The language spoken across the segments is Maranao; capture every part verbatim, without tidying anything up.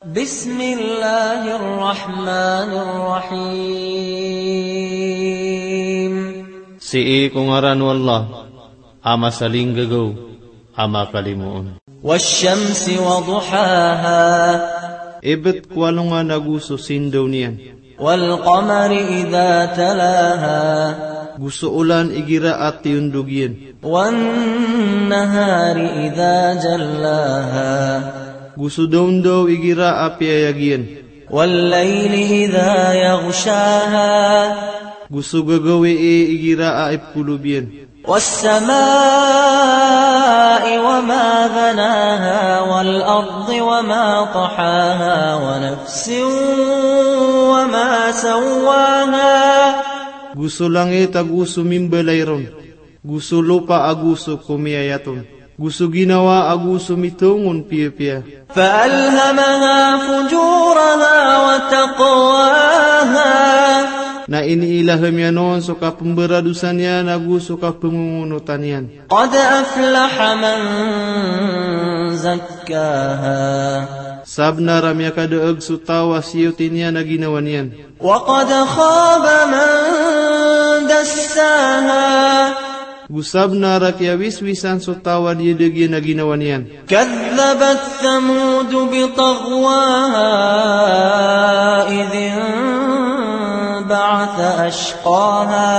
بسم الله الرحمن الرحيم. Sii ko ngaran o Allah a masalinggagaw a makalimoon. والشمس وضحاها. Ibt ko alongan ago so sindaw niyan. والقمر إذا تلاها. Go so olan igira a tiyondog iyan. والنهار إذا جلاها. Go so dawndaw igira a piyayag iyan. والليل إذا يغشاها. Go so gagawii igira a ipkolob iyan. والسماء وما بناها والأرض وما طحاها ونفس وما سواها. Go so langit ago so mimbalay ron. Go so lopa ago so komiyayat on. Go so ginawa ago so mitongon piyapiya. فألهمها فجورها وتقواها. Na iniilaham iyan on so kapmbaradosa niyan ago so kapangongonotan iyan. قد أفلح من زكاها. Sabnar a miyakadaag so taw a siyoti niyan a ginawa niyan. وقد خاب من دساها. Go sabnar a kiyawiswisan so taw a diyadaag iyan a ginawa niyan. كذبت ثمود بطغواها إذ انبعث أشقاها.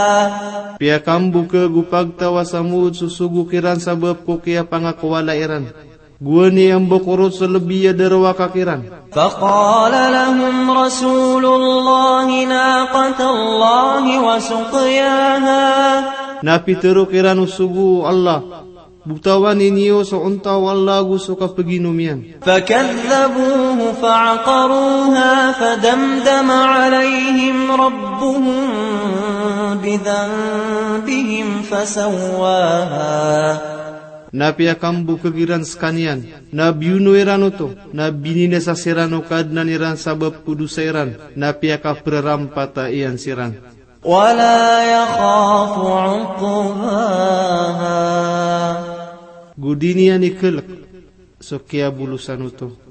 Piyakambokag o pagtaw a Samud so sogo kiran sabap ko kiyapangakowala iran. Gowani a mbokorot so lbi a darowaka kiran. فقال لهم رسول الله ناقة الله وسقياها. Na pitharo kiran o sogo o Allah, botawani niyo so onta o Allah ago so kapaginom iyan. فكذبوه فعقروها فدمدم عليهم ربهم بذنبهم فسواها. Na piyakambokag iran skaniyan, na biyono iran oto, na bininasa siran o Kadnan iran sabap ko dosa iran, na piyakaprarampata iyan siran. ولا يخاف عقباها. Go di niyan ikalk so kiyabolosan oto.